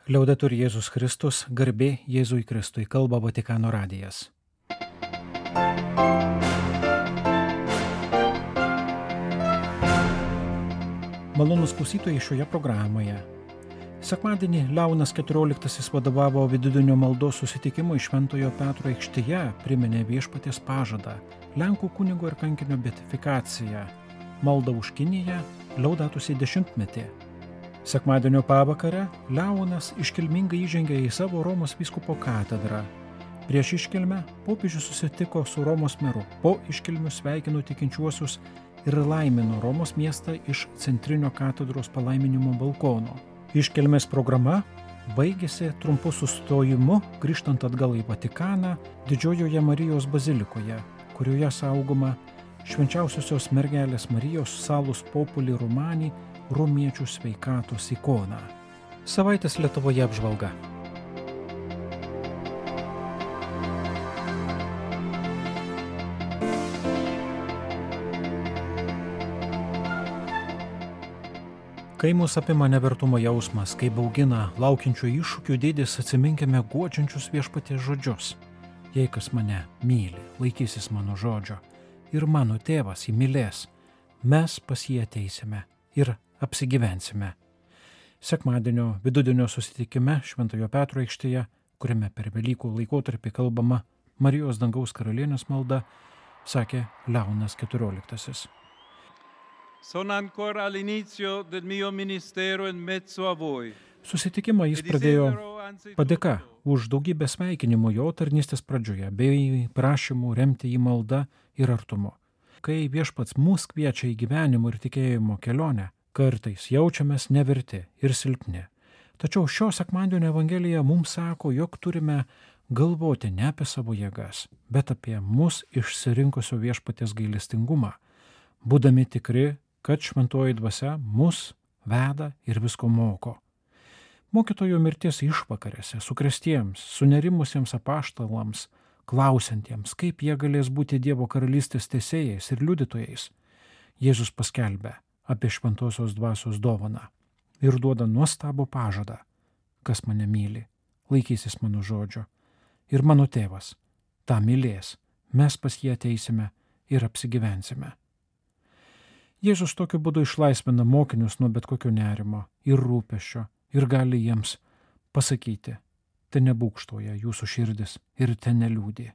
Liaudetur Jėzus Kristus, garbė Jėzui Kristui, kalba Vatikano radijas. Malonūs klausytojai šioje programoje. Sekmadienį Leonas XIV vadovavo vidudienio maldos susitikimui Šventojo Petro aikštėje, priminė viešpaties pažadą, Lenkų kunigo ir kankinio beatifikaciją, maldą už Kiniją, Laudato Si dešimtmetį. Sekmadienio pavakarę Leonas iškilmingai įžengė į savo Romos vyskupo katedrą. Prieš iškilmę popiežius susitiko su Romos meru. Po iškilmių sveikino tikinčiuosius ir laimino Romos miestą iš centrinio katedros palaiminimo balkono. Iškilmės programa baigėsi trumpu sustojimu, grįžtant atgal į Vatikaną, Didžiojoje Marijos bazilikoje, kurioje saugoma Švenčiausiosios mergelės Marijos Salus Populi Romani romiečių sveikatos ikona. Savaitės Lietuvoje apžvalga. Kai mus apima nevertumo jausmas, kai baugina laukiančių iššūkių dydis, atsiminkime guodžiančius viešpaties žodžius. Jei kas mane myli, laikysis mano žodžio, ir mano tėvas jį mylės, mes pas jį ateisime ir apsigyvensime. Sekmadienio vidudienio susitikime Šventojo Petro aikštėje, kuriame per Velykų laikotarpį kalbama Marijos dangaus karalienės malda, sakė Leonas XIV. Sono ancora all'inizio del mio ministero in mezzo a voi. Susitikimą jis pradėjo padėka už daugybę sveikinimų jo tarnystės pradžioje, bei prašymų remti jį maldą ir artumu. Kai viešpats mus kviečia į gyvenimo ir tikėjimo kelionę, kartais jaučiamės neverti ir silpni. Tačiau šio sekmadienio Evangelija mums sako, jog turime galvoti ne apie savo jėgas, bet apie mus išsirinkusio viešpaties gailestingumą, būdami tikri, kad šventoji dvasia mus veda ir visko moko. Mokytojo mirties išvakarėse sukrėstiems, sunerimusiems apaštalams, klausiantiems, kaip jie galės būti Dievo karalystės teisėjais ir liudytojais, Jėzus paskelbė apie šventosios dvasios dovaną ir duoda nuostabų pažadą, kas mane myli, laikysis mano žodžio, ir mano tėvas tą mylės, mes pas jį ateisime ir apsigyvensime. Jėzus tokiu būdu išlaisvina mokinius nuo bet kokio nerimo ir rūpesčio ir gali jiems pasakyti, te nebūkštoja jūsų širdis ir te neliūdė.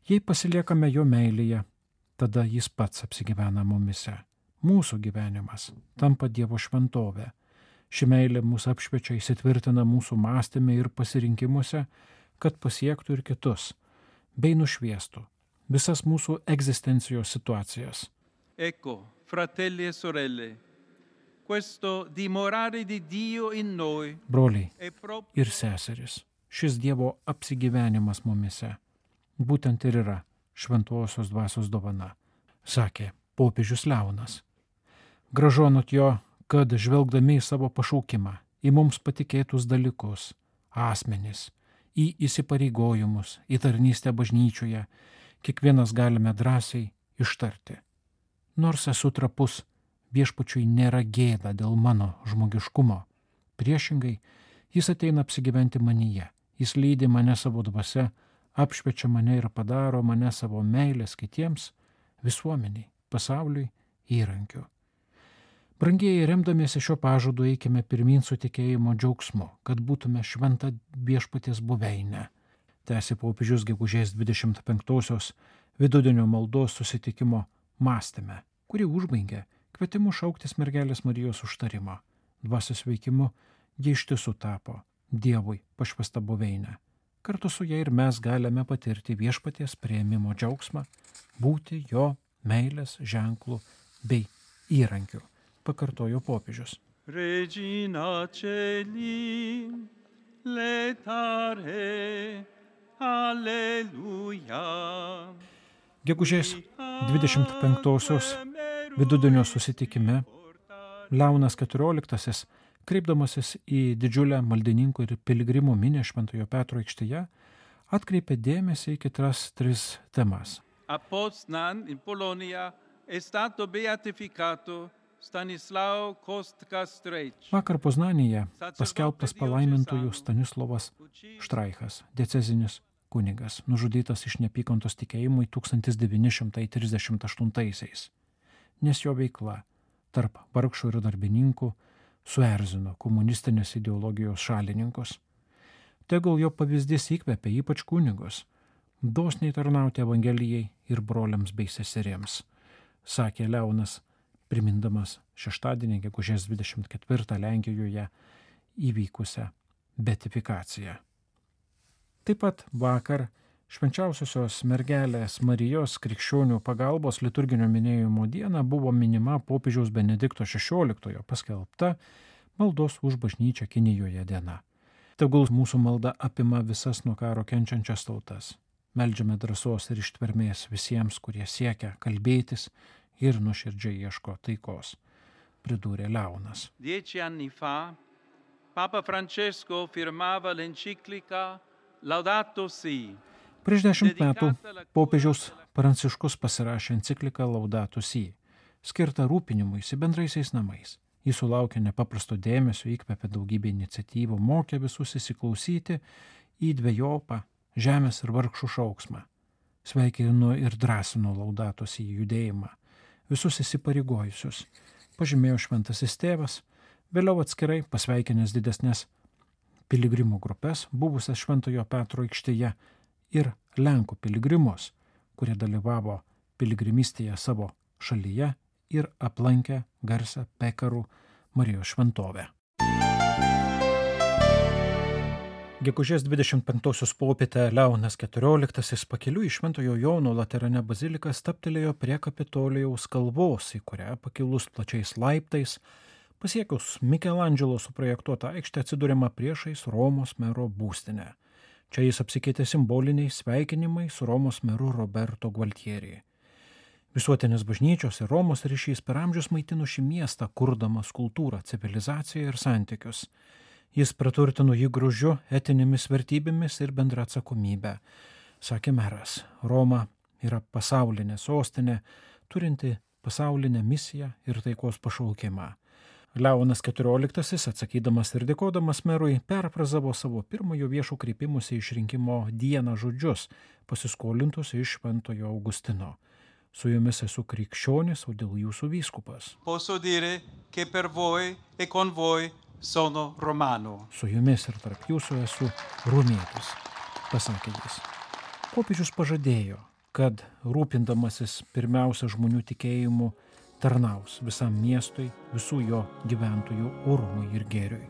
Jei pasiliekame jo meilėje, tada jis pats apsigyvena mumise. Mūsų gyvenimas tampa Dievo šventovė. Ši meilė mūsų apšviečia, įsitvirtina mūsų mąstyme ir pasirinkimuose, kad pasiektų ir kitus, bei nušviestų visas mūsų egzistencijos situacijas. Ecco, fratelli e sorelle, questo dimorare di Dio in noi. Broliai ir seserys, šis Dievo apsigyvenimas mumise būtent ir yra šventosios dvasios dovana, sakė popiežius Leonas. Gražu anot jo, kad žvelgdami į savo pašaukimą, į mums patikėtus dalykus, asmenis, į įsipareigojimus, į tarnystę bažnyčioje, kiekvienas galime drąsiai ištarti. Nors esu trapus, viešpačiui nėra gėda dėl mano žmogiškumo. Priešingai, jis ateina apsigyventi manyje, jis lydi mane savo dvasia, apšviečia mane ir padaro mane savo meilės kitiems, visuomeniai, pasauliui įrankiu. Brangieji, remdamiesi šio pažadu, eikime pirmyn su tikėjimo džiaugsmu, kad būtume šventa viešpaties buveinė. Tęsė popiežius gegužės 25-osios vidudienio maldos susitikimo mąstyme, kurį užbaigė kvietimu šauktis mergelės Marijos užtarimo. Dvasios veikimu jie iš tiesų tapo Dievui pašvęsta buveinė. Kartu su ja ir mes galime patirti viešpaties priėmimo džiaugsmą, būti jo meilės ženklų bei įrankių, pakartojo popiežius. Regina Celi, letare, alleluja. Gegužės 25-osios vidudienio susitikime Leonas XIV, kreipdamasis į didžiulę maldininkų ir piligrimų minią Šventojo Petro aikštėje, atkreipė dėmesį į kitas 3 temas. A Poznan, in Polonia, è stato beatificato Stanislao Kostka-Strejč. Vakar Poznanėje paskelbtas palaimintojų Stanislovas Štraichas, diecezinis kunigas, nužudytas iš neapykantos tikėjimui 1938-aisiais, nes jo veikla tarp vargšų ir darbininkų suerzino komunistinės ideologijos šalininkus. Tegul jo pavyzdys įkvepia ypač kunigus dosniai tarnauti Evangelijai ir broliams bei seserims, sakė Leonas, primindamas šeštadienį, gegužės 24 Lenkijoje įvykusią beatifikaciją. Taip pat vakar Švenčiausiosios mergelės Marijos krikščionių pagalbos liturginio minėjimo dieną buvo minima popiežiaus Benedikto XVI paskelbta maldos už bažnyčią Kinijoje diena. Tegul mūsų malda apima visas nuo karo kenčiančias tautas. Meldžiame drąsos ir ištvermės visiems, kurie siekia kalbėtis ir nuoširdžiai ieško taikos, pridūrė Leonas. 10 anni fa, Papa Francesco firmava l'enciclica Laudato Si. Prieš 10 metų popiežiaus Pranciškus pasirašė encikliką Laudato Si, skirtą rūpinimuisi bendraisiais namais. Jis sulaukė nepaprasto dėmesio, įkvėpė daugybę iniciatyvų, mokė visus įsiklausyti į dvejopą žemės ir vargšų šauksmą. Sveikino ir drąsino Laudato Si judėjimą, visus įsipareigojusius, pažymėjo šventasis tėvas, vėliau atskirai pasveikinęs didesnės piligrimų grupės, buvusias Šventojo Petro aikštėje ir Lenkų piligrimus, kurie dalyvavo piligrimystėje savo šalyje ir aplankė garsą Pekarų Marijos šventovę. Gegužės 25 popietę Leonas XIV pakeliui į Šventojo Jono Laterane baziliką stabtelėjo prie Kapitolijaus kalvos, į kurią pakilus plačiais laiptais, pasiekus Mikelandželo suprojektuotą aikštę atsidūrėma priešais Romos mero būstinę. Čia jis apsikeitė simboliniais sveikinimais su Romos meru Roberto Gualtieri. Visuotinės bažnyčios ir Romos ryšys per amžius maitino šį miestą, kurdamas kultūrą, civilizaciją ir santykius. Jis praturtino jį grožiu, etinėmis vertybėmis ir bendra atsakomybė. Sakė meras, Roma yra pasaulinė sostinė, turinti pasaulinę misiją ir taikos pašaukimą. Leonas XIV, atsakydamas ir dėkodamas merui, perfrazavo savo pirmojo viešo kreipimosi išrinkimo dieną žodžius, pasiskolintus iš Šventojo Augustino. Su jumis esu krikščionis, o dėl jūsų vyskupas. Posso dire che per voi e con voi sono romano. Su jumis ir tarp jūsų esu romietis, pasakė jis. Popiežius pažadėjo, kad rūpindamasis pirmiausia žmonių tikėjimu tarnaus visam miestui, visų jo gyventojų orumui ir gėriui.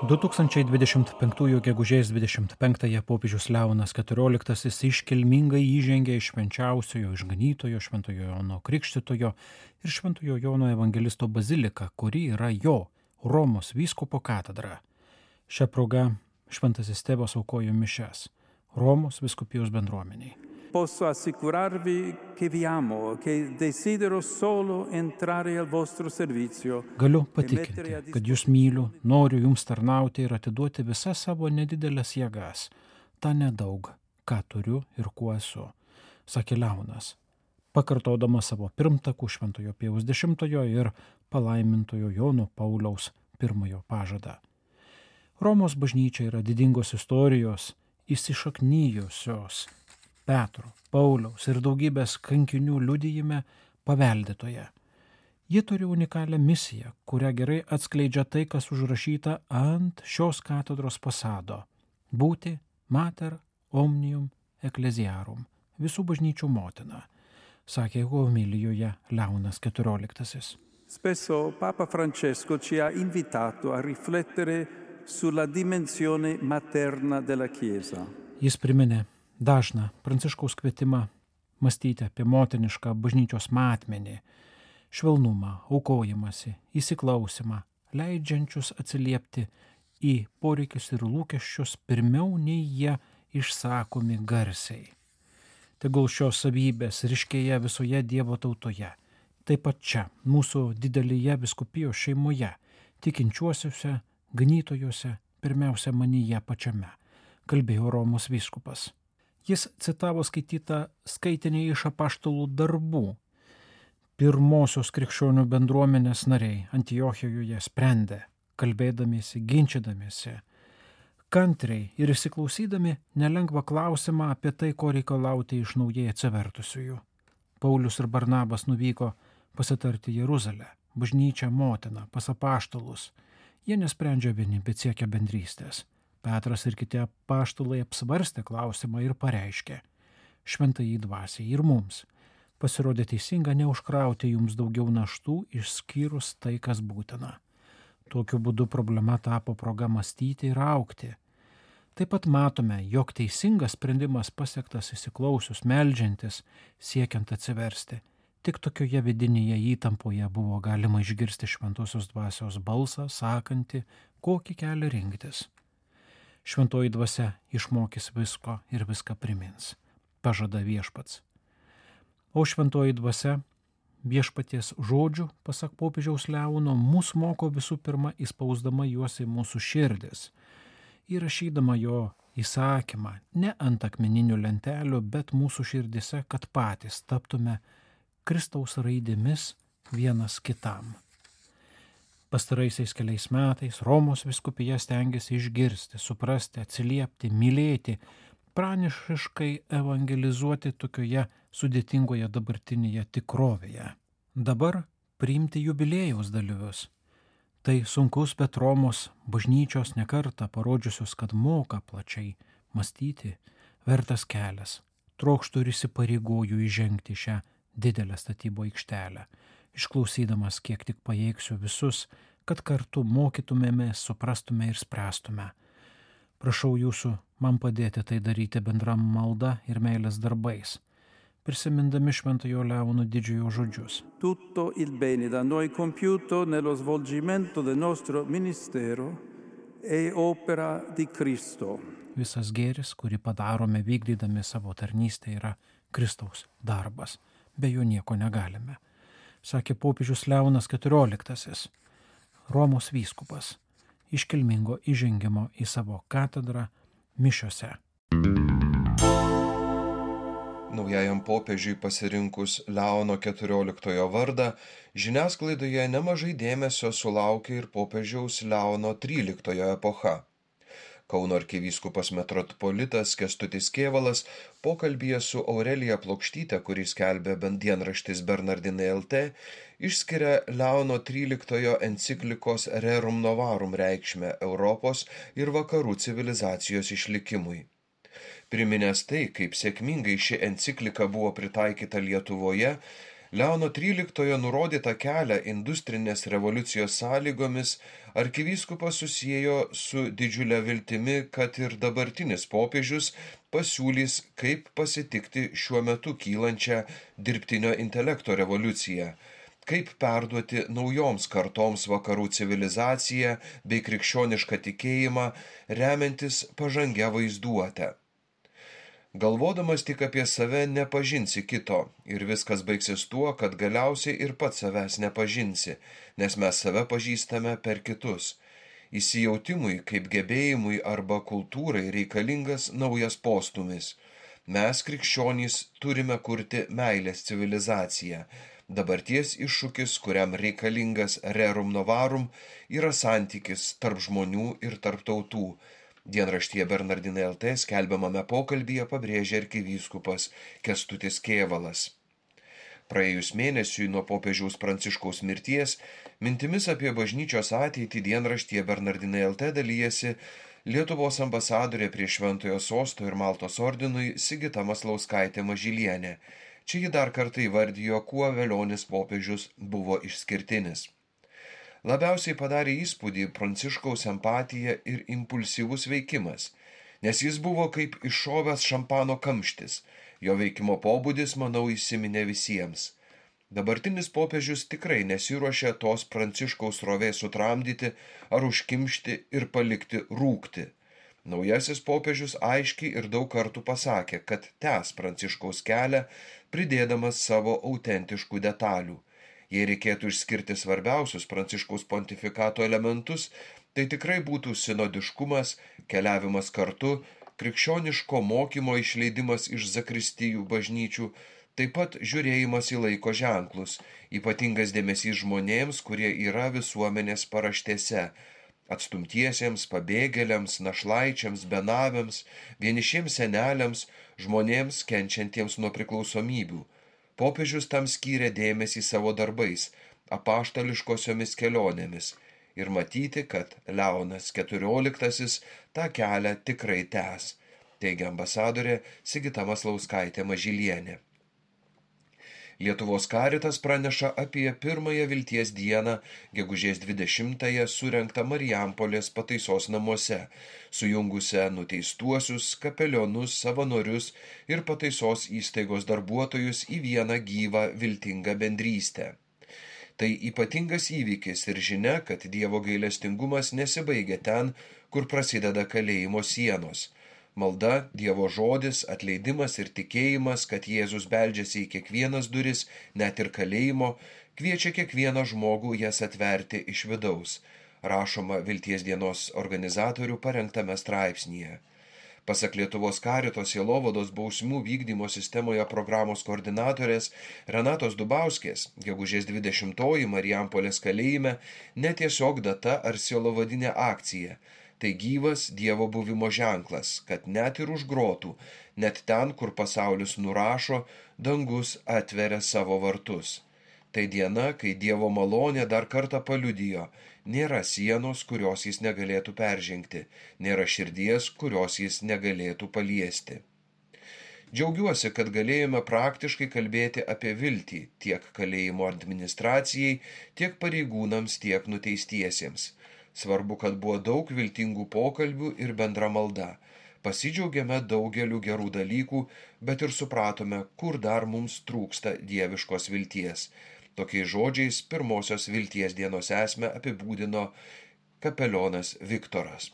2025 gegužės 25 popiežius Leonas XIV iškilmingai įžengė iš švenčiausiojo išganytojo Šventojo Jono Krikštytojo ir Šventojo Jono Evangelisto baziliką, kuri yra jo, Romos vyskupo katedra. Šią progą šventasis tėvas aukojo mišias Romos vyskupijos bendruomeniai. Posso assicurarvi che vi amo, che desidero solo entrare al vostro servizio. Galiu patikinti, kad jūs myliu, noriu jums tarnauti ir atiduoti visas savo nedidelės jėgas, tą nedaug, ką turiu ir kuo esu, sakė Leonas, pakartodamas savo pirmtakų Šventojo Pijaus X ir palaimintojo Jono Pauliaus I pažadą. Romos bažnyčia yra didingos istorijos, įsišaknyjusios Petro, Pauliaus ir daugybės kankinių liudijime paveldėtoje. Ji turi unikalią misiją, kurią gerai atskleidžia tai, kas užrašyta ant šios katedros fasado – būti mater omnium ecclesiarum, visų bažnyčių motina, sakė homilijoje Leonas XIV. Spesso Papa Francesco ci ha invitato a riflettere sulla dimensione materna della Chiesa. Jis priminė dažną Pranciškaus kvietimą mąstyti apie motinišką bažnyčios matmenį, švelnumą, aukojimąsi, įsiklausimą, leidžiančius atsiliepti į poreikius ir lūkesčius pirmiau nei jie išsakomi garsiai. Tegul šios savybės ryškėja visoje Dievo tautoje, taip pat čia, mūsų didelėje vyskupijos šeimoje, tikinčiuosiuose, ganytojuose, pirmiausia manyje pačiame, kalbėjo Romos vyskupas. Jis citavo skaitytą skaitinį iš apaštalų darbų. Pirmosios krikščionių bendruomenės nariai Antiochijoje sprendė, kalbėdamiesi, ginčydamiesi, kantriai ir įsiklausydami nelengvą klausimą apie tai, ko reikalauti iš naujai atsivertusiųjų. Paulius ir Barnabas nuvyko pasitarti Jeruzalę, bažnyčią motiną, pas apaštalus. Jie nesprendžia vieni, bet siekia bendrystės. Petras ir kiti apaštalai apsvarstė klausimą ir pareiškė: šventajai dvasiai ir mums pasirodė teisinga neužkrauti jums daugiau naštų, išskyrus tai, kas būtina. Tokiu būdu problema tapo proga mąstyti ir augti. Taip pat matome, jog teisingas sprendimas pasiektas įsiklausius, meldžiantis, siekiant atsiversti. Tik tokioje vidinėje įtampoje buvo galima išgirsti šventosios dvasios balsą, sakantį, kokį kelią rinktis. Šventoji dvasia išmokys visko ir viską primins, pažada viešpats. O šventoji dvasia viešpaties žodžių, pasak popiežiaus Leono, mus moko visų pirma įspausdama juos į mūsų širdis, įrašydama jo įsakymą ne ant akmeninių lentelių, bet mūsų širdise, kad patys taptume Kristaus raidėmis vienas kitam. Pastaraisiais keliais metais Romos vyskupija stengiasi išgirsti, suprasti, atsiliepti, mylėti, pranašiškai evangelizuoti tokioje sudėtingoje dabartinėje tikrovėje. Dabar priimti jubiliejaus dalyvius. Tai sunkus, bet Romos bažnyčios nekartą parodžiusios, kad moka plačiai mąstyti, vertas kelias. Trokštų ir įsipareigoju įžengti šią didelę statybų aikštelę, išklausydamas kiek tik pajėgsiu visus, kad kartu mokytumėmės, suprastume ir spręstume. Prašau jūsų man padėti tai daryti bendram malda ir meilės darbais, prisimindami Šventojo Leono didžiojo žodžius. Tutto il bene da noi compiuto nello svolgimento del nostro ministero è opera di Cristo. Visas gėris, kurį padarome vykdydami savo tarnystę, yra Kristaus darbas. Be jo nieko negalime, sakė popiežius Leonas XIV, Romos vyskupas, iškilmingo įžengimo į savo katedrą mišiose. Naujajam popiežiui pasirinkus Leono XIV vardą, žiniasklaidoje nemažai dėmesio sulaukė ir popiežiaus Leono XIII epocha. Kauno arkivyskupas metropolitas Kęstutis Kėvalas pokalbyje su Aurelija Plokštyte, kurį skelbė dienraštis Bernardinai LT, išskiria Leono XIII enciklikos Rerum Novarum reikšmę Europos ir vakarų civilizacijos išlikimui. Priminęs tai, kaip sėkmingai ši enciklika buvo pritaikyta Lietuvoje, Leono XIII nurodytą kelią industrinės revoliucijos sąlygomis arkivyskupas susiejo su didžiulė viltimi, kad ir dabartinis popiežius pasiūlys, kaip pasitikti šiuo metu kylančią dirbtinio intelekto revoliuciją, kaip perduoti naujoms kartoms vakarų civilizaciją bei krikščionišką tikėjimą, remiantis pažangia vaizduote. Galvodamas tik apie save nepažinsi kito ir viskas baigsis tuo, kad galiausiai ir pats savęs nepažinsi, nes mes save pažįstame per kitus. Įsijautimui kaip gebėjimui arba kultūrai reikalingas naujas postūmis. Mes, krikščionys, turime kurti meilės civilizaciją. Dabarties iššūkis, kuriam reikalingas rerum novarum, yra santykis tarp žmonių ir tarp tautų. Dienraštyje Bernardinai LT skelbiamame pokalbyje pabrėžė arkivyskupas Kęstutis Kėvalas. Praėjus mėnesiui nuo popiežiaus Pranciškaus mirties, mintimis apie bažnyčios ateitį dienraštyje Bernardinai LT dalyjasi Lietuvos ambasadorė prie Šventojo Sosto ir Maltos ordinui Sigita Maslauskaitė Mažylienė. Čia ji dar kartą įvardijo, kuo velionis popiežius buvo išskirtinis. Labiausiai padarė įspūdį Pranciškaus empatija ir impulsyvus veikimas, nes jis buvo kaip iššovęs šampano kamštis. Jo veikimo pobūdis, manau, įsiminė visiems. Dabartinis popiežius tikrai nesiruošia tos Pranciškaus srovės sutramdyti ar užkimšti ir palikti rūkti. Naujasis popiežius aiškiai ir daug kartų pasakė, kad tęs Pranciškaus kelią, pridėdamas savo autentiškų detalių. Jei reikėtų išskirti svarbiausius Pranciškaus pontifikato elementus, tai tikrai būtų sinodiškumas, keliavimas kartu, krikščioniško mokymo išleidimas iš zakristijų bažnyčių, taip pat žiūrėjimas į laiko ženklus, ypatingas dėmesys žmonėms, kurie yra visuomenės paraštėse, atstumtiesiems, pabėgėliams, našlaičiams, benaviams, vienišiems seneliams, žmonėms kenčiantiems nuo priklausomybių. Popiežius tam skyrė dėmesį savo darbais, apaštališkosiomis kelionėmis ir matyti, kad Leonas XIV tą kelią tikrai tęs, teigia ambasadorė Sigita Maslauskaitė Mažylienė. Lietuvos Karitas praneša apie pirmąją vilties dieną, gegužės 20-ąją surengtą Marijampolės pataisos namuose, sujungusią nuteistuosius, kapelionus, savanorius ir pataisos įstaigos darbuotojus į vieną gyvą viltingą bendrystę. Tai ypatingas įvykis ir žinia, kad Dievo gailestingumas nesibaigia ten, kur prasideda kalėjimo sienos. Malda, Dievo žodis, atleidimas ir tikėjimas, kad Jėzus beldžiasi į kiekvienas duris, net ir kalėjimo, kviečia kiekvieną žmogų jas atverti iš vidaus, rašoma Vilties dienos organizatorių parengtame straipsnyje. Pasak Lietuvos Karito sielovados bausmių vykdymo sistemoje programos koordinatorės Renatos Dubauskės, gegužės 20-oji Marijampolės kalėjime netiesiog data ar sielovadinė akcija. Tai gyvas Dievo buvimo ženklas, kad net ir už grotų, net ten, kur pasaulis nurašo, dangus atveria savo vartus. Tai diena, kai Dievo malonė dar kartą paliudijo, nėra sienos, kurios jis negalėtų peržengti, nėra širdies, kurios jis negalėtų paliesti. Džiaugiuosi, kad galėjome praktiškai kalbėti apie viltį tiek kalėjimo administracijai, tiek pareigūnams, tiek nuteistiesiems. Svarbu, kad buvo daug viltingų pokalbių ir bendra malda. Pasidžiaugėme daugeliu gerų dalykų, bet ir supratome, kur dar mums trūksta dieviškos vilties. Tokiais žodžiais pirmosios vilties dienos esmę apibūdino kapelionas Viktoras.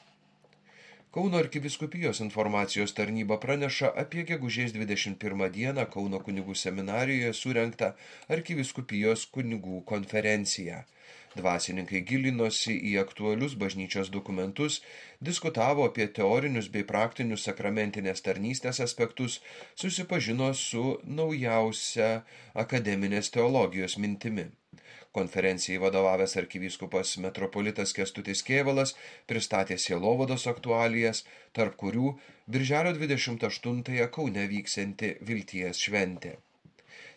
Kauno arkivyskupijos informacijos tarnyba praneša apie gegužės 21 dieną Kauno kunigų seminarijoje surengtą arkivyskupijos kunigų konferenciją. Dvasininkai gilinosi į aktualius bažnyčios dokumentus, diskutavo apie teorinius bei praktinius sakramentinės tarnystės aspektus, susipažino su naujausia akademinės teologijos mintimi. Konferencijai vadovavęs arkivyskupas metropolitas Kęstutis Kėvalas pristatė sielovados aktualijas, tarp kurių birželio 28-ąją Kaune vyksianti Vilties šventė.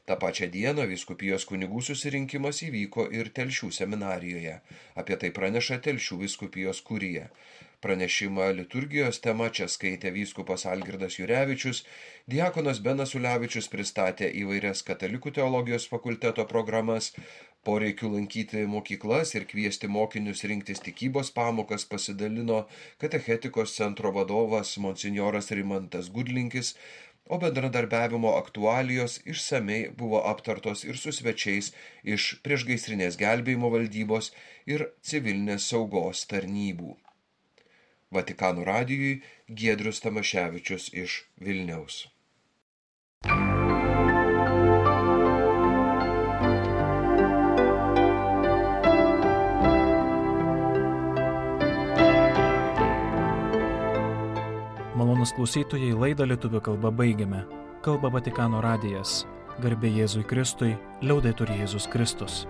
Ta pačią dieną vyskupijos kunigų susirinkimas įvyko ir Telšių seminarijoje. Apie tai praneša Telšių vyskupijos kurija. Pranešimą liturgijos tema čia skaitė vyskupas Algirdas Jurevičius, diakonas Benas Ulevičius pristatė įvairias katalikų teologijos fakulteto programas, poreikių lankyti mokyklas ir kviesti mokinius rinktis tikybos pamokas pasidalino katechetikos centro vadovas monsinjoras Rimantas Gudlinkis, o bendradarbiavimo aktualijos išsamei buvo aptartos ir su svečiais iš priešgaisrinės gelbėjimo valdybos ir civilinės saugos tarnybų. Vatikano radijui Giedrius Tamaševičius iš Vilniaus. Malonūs klausytojai, laidą lietuvių kalba baigiame. Kalba Vatikano radijas. Garbė Jėzui Kristui, liaudetur Jėzus Kristus.